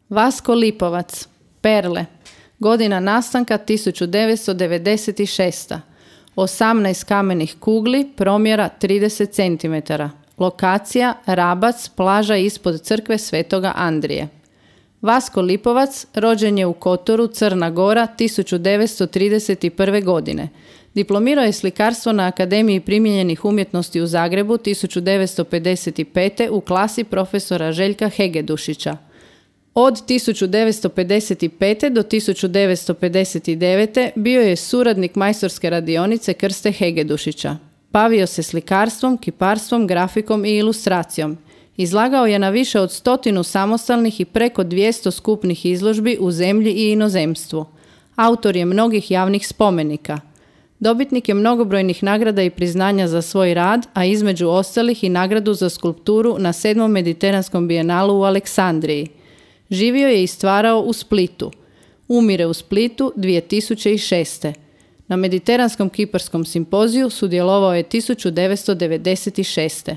Vasko Lipovac, Perle, godina nastanka 1996. 18 kamenih kugli, promjera 30 cm. Lokacija Rabac, plaža ispod crkve Svetoga Andrije. Vasko Lipovac rođen je u Kotoru, Crna Gora, 1931. godine. Diplomirao je slikarstvo na Akademiji primijenjenih umjetnosti u Zagrebu 1955. u klasi profesora Željka Hegedušića. Od 1955. do 1959. bio je suradnik majstorske radionice Krste Hegedušića. Bavio se slikarstvom, kiparstvom, grafikom i ilustracijom. Izlagao je na više od 100 samostalnih i preko 200 skupnih izložbi u zemlji i inozemstvu. Autor je mnogih javnih spomenika. Dobitnik je mnogobrojnih nagrada i priznanja za svoj rad, a između ostalih i nagradu za skulpturu na 7. Mediteranskom bijenalu u Aleksandriji. Živio je i stvarao u Splitu. Umire u Splitu 2006. Na Mediteranskom kiparskom simpoziju sudjelovao je 1996.